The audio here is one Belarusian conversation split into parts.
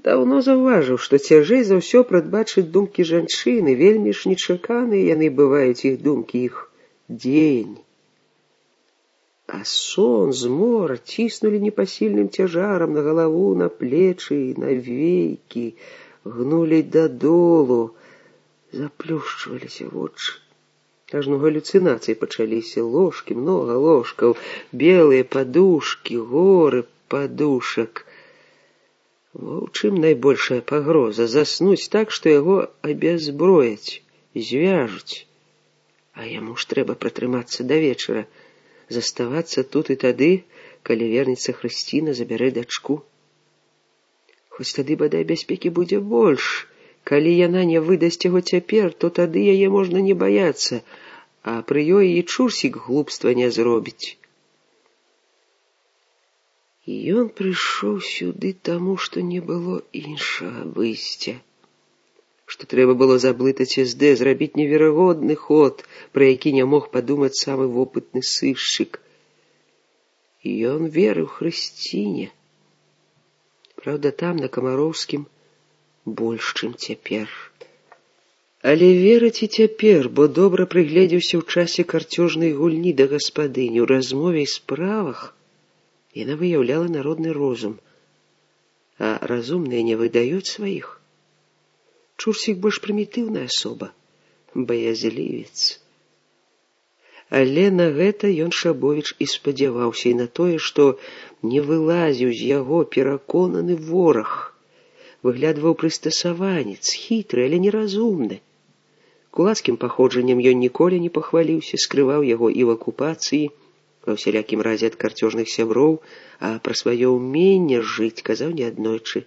Даўно заўважыў, што цяжэй за ўсё прадбачыць думкі жанчыны, вельмі ж нечаканыя яны бываюць, іх думкі, іх дзеянні. А сон, змора ціснулі непасільным цяжарам на галаву, на плечы, на вейкі, гнулі дадолу, заплюшчваліся вочы. Ажно галюцынацыі пачаліся, ложкі, многа ложкаў, белыя падушкі, горы падушак. Во ў чым найбольшая пагроза — заснуць так, што яго абязброяць, звяжуць. А яму ж трэба пратрымацца да вечара, заставацца тут і тады, калі вернецца Хрысціна, забярэ дачку. Хоць тады, бадай, бяспекі будзе больш. Калі яна не выдасць яго цяпер, то тады яе можна не баяцца, а пры ёй і Чурсік глупства не зробіць. І ён прыйшоў сюды таму, што не было іншага выйсця. Што трэба было заблытаць СД, зрабіць неверагодны ход, пра які не мог падумаць самы вопытны сышчык. І ён верыў Хрысціне. Праўда, там, на Камароўскім, больш, чым цяпер. Але верыць і цяпер, бо добра прыгледзеўся ў часе карцёжнай гульні да гаспадыні, у размове і справах. Яна выяўляла народны розум, а разумныя не выдаюць сваіх. Чурсік больш прымітыўная асоба, баязлівец. Але на гэта ён, Шабовіч, і спадзяваўся, і на тое, што не вылазіў з яго пераконаны вораг. Выглядваў прыстасаванец, хітры, але неразумны. Кулацкім паходжаннем ён ніколі не пахваліўся, скрываў яго і в акупацыі, ва ўсялякім разе ад карцёжных сяброў, а пра сваё ўменне жыць казаў неаднойчы.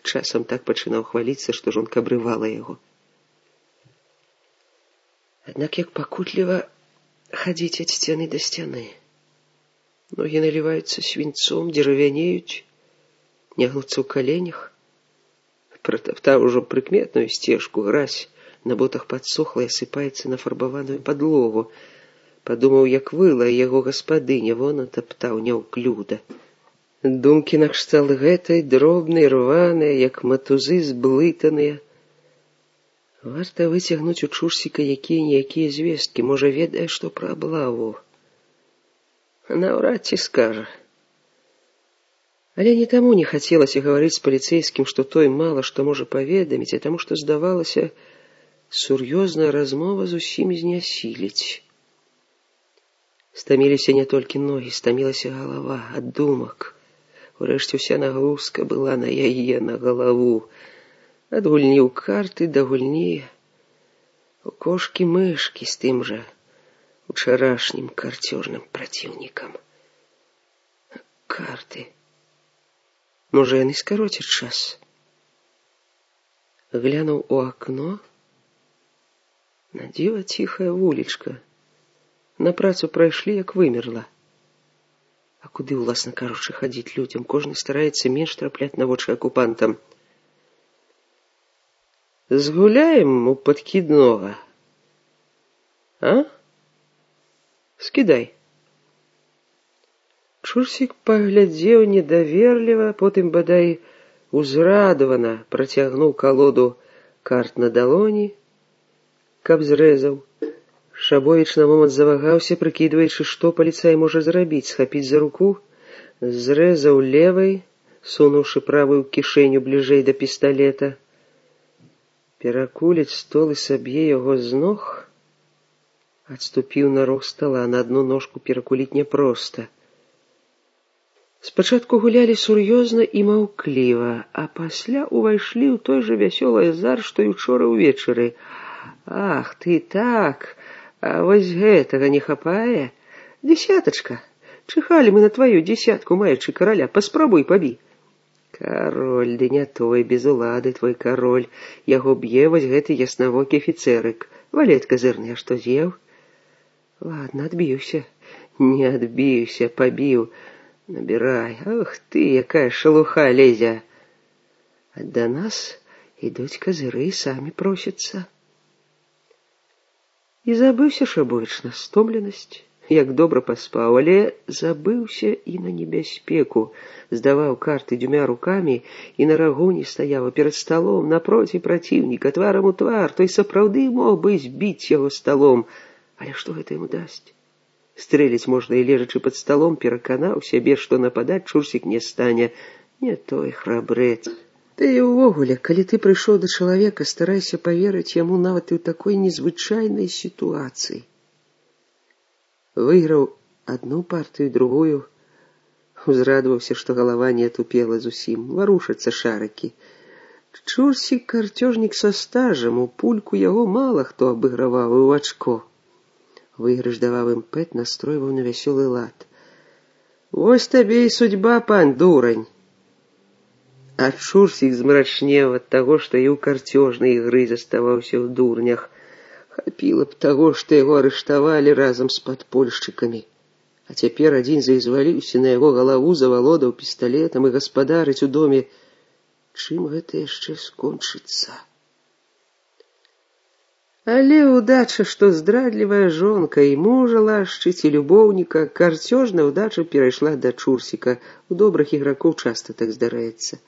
Часам так пачынаў хваліцца, што жонка абрывала яго. Аднак як пакутліва хадзіць ад сцяны да сцяны. Ногі наліваюцца свінцом, дзеравянеюць, не гнуцца ў каленях. Пратаптаў ужо прыкметную сцежку, гразь на ботах падсохла і асыпаецца на фарбаваную падлогу. Падумаў, як выла яго гаспадыня, вон атаптаў няўклюда. Думкі накшталт гэтай, дробнай, рваныя, як матузы зблытаныя. Варта выцягнуць у Чурсіка якія-ніякія звесткі, можа, ведае, што пра аблаву. Наўрад ці скажа. Але не таму не хацелася гаварыць з паліцэйскім, што той мала што можа паведаміць, а таму, што здавалася, сур'ёзная размова зусім знясіліць. Стаміліся не толькі ногі, стамілася галава ад думак. Урэшце ўся нагрузка была на яе, на галаву. Ад гульні ў карты да гульні у кошкі-мышкі з тым жа учарашнім карцёжным праціўнікам. Карты. Можа, яны скароцяць час. Глянуў у акно. На дзіва ціхая вулічка. На працу прайшлі, як вымерла. А куды, уласна кажучы, хадзіць людзям? Кожны стараецца менш трапляць на вочы акупантам. Згуляем у падкіднога. А? Скідай. Чурсік паглядзеў недаверліва, потым, бадай, узрадавана працягнуў калоду карт на далоні, каб зрэзаў. Шабовіч на момант завагаўся, прыкідваючы, што паліцай можа зрабіць, схапіць за руку, зрэзаў левай, сунуўшы правую кішэню бліжэй да пісталета. Перакуліць стол і саб'е яго з ног, адступіў на рог стала, на адну ножку перакуліць няпроста. Спачатку гулялі сур'ёзна і маўкліва, а пасля ўвайшлі ў той жа вясёлы азарт, што і учора ўвечары. Ах, ты так, а вось гэтага не хапае? Дзесятачка, чыхалі мы на тваю дзесятку, маючы караля, паспрабуй пабі. Кароль, ды не той, без улады твой кароль, яго б'е вось гэты яснавокі афіцэрык. Валет казырны, а што з'еў? Ладно, адбіўся. Не адбіўся, пабіў. Набірай. Ах ты, якая шалуха лезе. А да нас ідуць казыры і самі просяцца. І забыўся Шабовіч на стомленасць, як добра паспаў, але забыўся і на небяспеку, здаваў карты дзвюма рукамі і на рагоне стаяў перад сталом напроці праціўніка, тварам у твар. Той сапраўды мог бы збіць яго сталом, але што гэта яму дасць? Стрэліць можна і лежачы пад сталом, пераканаў сябе, што нападаць Чурсік не стане. Не той храбрэц. Ты і ўвогуле, калі ты прыйшоў да чалавека, старайся паверыць яму нават і ў такой незвычайнай сітуацыі. Выйграў адну партыю, другую, узрадаваўся, што галава не атупела зусім, варушацца шарыкі. Чурсік карцёжнік са стажам, у пульку яго мала хто абыграваў і ў ачко. Выйгрыш даваў імпэт, настройваў на вясёлы лад. Вось табе і судьба, пан дурань. А Чурсік змрачнеў ад таго, што і ў карцёжнай ігры заставаўся ў дурнях. Хапіла б таго, што яго арыштавалі разам з падпольшчыкамі. А цяпер адзін зaiзваліўся на яго галаву, завалодаў пісталетам і гаспадарыць у доме. Чым гэта яшчэ скончыцца? Але ўдача, што здрадлівая жонка і мужа лашчыць, і любоўніка, карцёжная ўдача перайшла да Чурсіка. У добрых ігракоў часта так здараецца.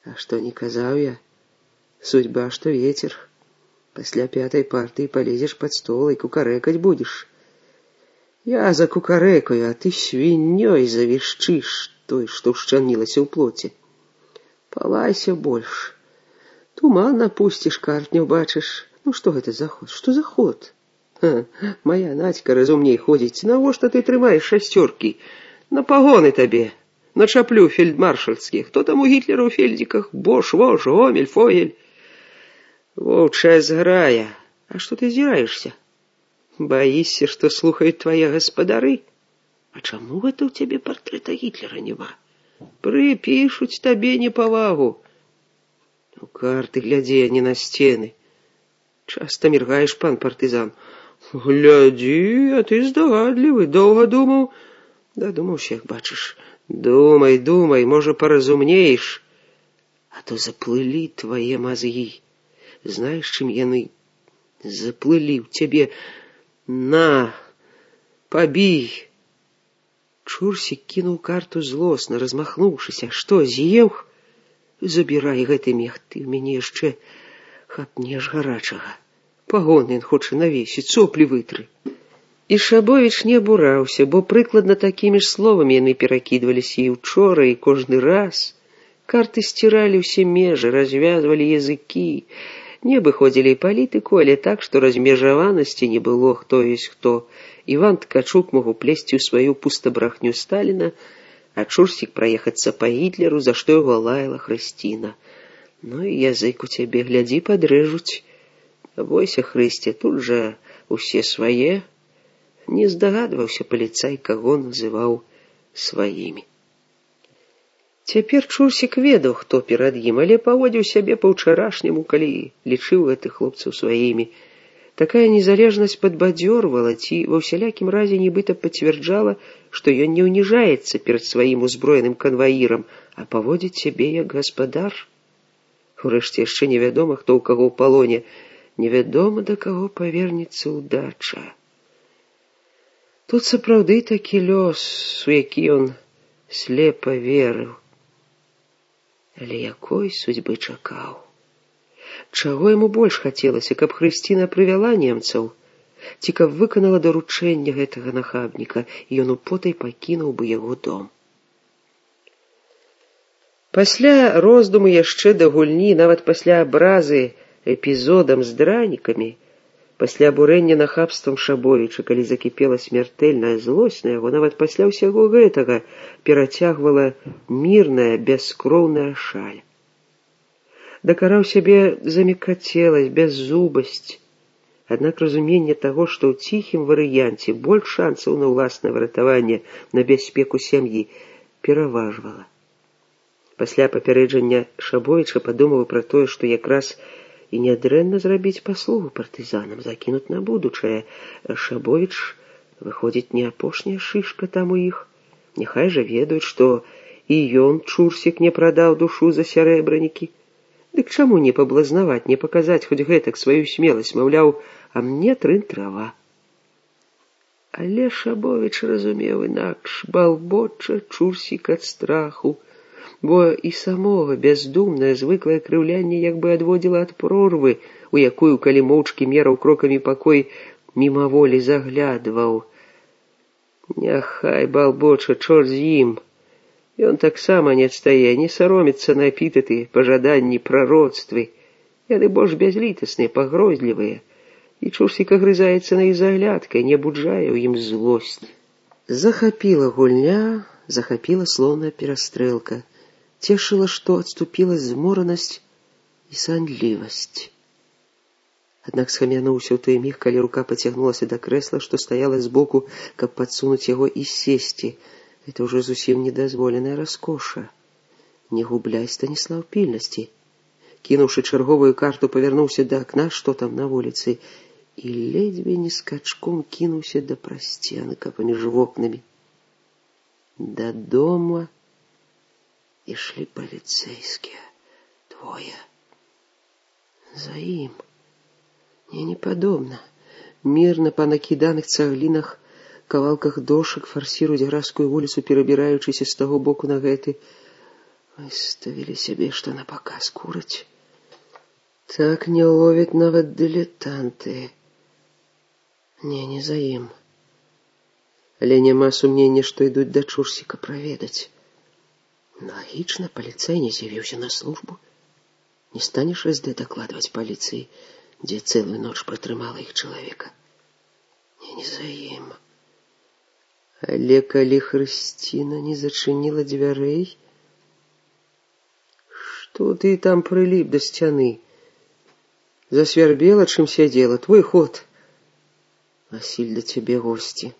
А што не казаў я? Судьба, што вецер. Пасля пятай партыі палезеш пад стол і кукарэкаць будзеш. Я закукарэкаю, а ты свіннёй завішчыш, той, што ўшчамілася ў плоце. Палайся больш. Туман напусціш, карт не ўбачыш. Ну што гэта за ход? Што за ход? Моя Надзька разумней ходзіць. Навошта ты трымаеш шасцёркі? На пагоны табе. На чаплю фельдмаршальскі. Хто там у Гітлера ў фельдзіках? Бош, Вош, Гомель, Фогель. Воўчая зграя. А што ты зіраешся? Баішся, што слухаюць твае гаспадары? А чаму гэта ў цябе партрэта Гітлера няма? Прыпішуць табе непавагу. У карты глядзі, а не на сцены. Часта міргаеш, пан партызан. Глядзі, а ты здагадлівы. Доўга думаў? Дадумаўся, як бачыш. Думай, думай, можа, паразумнееш. А то заплылі твае мазгі. Знаеш, чым яны заплылі ў цябе? На, пабій. Чурсік кінуў карту злосна, размахнуўшыся. Што, з'еў? Забірай гэты мех, ты ў мяне яшчэ хапнеш гарачага. Пагоны ён хоча навесіць, соплі вытры. І Шабовіч не абураўся, бо прыкладна такімі ж словамі яны перакідваліся і ўчора, і кожны раз. Карты сціралі ўсе межы, развязвалі языкі. Не абыходзілі і палітыку, але так, што размежаванасці не было, хто ёсць хто. Іван Ткачук мог уплесці ў сваю пустабрахню Сталіна, а Чурсік праехацца па Гітлеру, за што яго лаяла Хрысціна. Ну і язык у цябе, глядзі, падрэжуць. Бойся, Хрысце, тут жа усе свае. Не здагадваўся паліцай, каго называў сваімі. Цяпер Чурсік ведаў, хто перад ім, але паводзіў сябе па-ўчарашняму, калі лічыў гэтых хлопцаў сваімі. Такая незалежнасць падбадзёрвала ці ва ўсялякім разе нібыта пацвярджала, што ён не ўніжаецца перад сваім узброеным канваірам, а паводзіць сябе як гаспадар. Урэшце яшчэ невядома, хто ў каго ў палоне, невядома, да каго павернецца ўдача. Тут сапраўды такі лёс, у які ён слепа верыў. Але якой судьбы чакаў? Чаго яму больш хацелася, каб Хрысціна прывяла немцаў, ці каб выканала даручэнне гэтага нахабніка, і ён употай пакінуў бы яго дом. Пасля роздуму яшчэ да гульні, нават пасля абразы эпізодам з дранікамі, пасля абурэння нахабствам Шабовіча, калі закіпела смяртэльная злосць на яго, нават пасля ўсяго гэтага перацягвала мірная, бяскроўная шаль. Дакараў сябе за мяккацеласць, бяззубасць. Аднак разуменне таго, што ў ціхім варыянце больш шансаў на ўласнае выратаванне, на бяспеку сям'і, пераважвала. Пасля папярэджання Шабовіча падумаў пра тое, што якраз і нядрэнна зрабіць паслугу партызанам, закінуць на будучае. Шабовіч, выходзіць, не апошняя шышка там у іх. Няхай жа ведаюць, што і ён, Чурсік, не прадаў душу за сярэбранікі. Дык чаму не паблазнаваць, не паказаць хоць гэтак сваю смеласць, маўляў, а мне трын трава. Але Шабовіч разумеў інакш, балбоча Чурсік ад страху, бо і самога бяздумнае звыклае крыўлянне як бы адводзіла ад прорвы, у якую, калі моўчкі мераў крокамі пакой, мімаволі заглядваў. Няхай балбоча, чорт з ім. Ён таксама не адстае, не сароміцца на эпітэты, пажаданні, прароцтвы. Яны больш бязлітасныя, пагрозлівыя. І Чурсік агрызаецца на іх заглядкай, не буджае ў ім злосць. Захапіла гульня, захапіла слоўная перастрэлка. Цешыла, што адступіла зморанасць і сандлівасць. Аднак схамянуўся ў той міг, калі рука пацягнулася да крэсла, што стаяла збоку, каб падсунуць яго і сесці. Это ўжо зусім недазволеная раскоша. Не губляй, Станіслаў, пільнасці. Кінуўшы чарговую карту, павярнуўся да акна, што там на вуліцы, і ледзьве не скачком кінуўся да прасценка паміж вокнамі. Да дома ішлі паліцэйскія. Двое. За ім. Не падобна. Мірна па накіданых цаглінах, кавалках дошак фарсіруюць гразкую вуліцу, перабіраючыся з таго боку на гэты. Выставілі сябе, што на паказ кураць. Так не ловяць нават дылетанты. Не за ім. Але няма сумнення, што ідуць да Чурсіка праведаць. Лагічна, паліцай не з'явіўся на службу. Не станеш СД дакладваць паліцыі, дзе цэлую ноч пратрымала іх чалавека. Не за ім. Але калі Хрысціна не зачыніла дзвярэй, што ты там прыліп да сцяны? Засвярбела, чым сядзела, твой ход. Васіль, да цябе госці.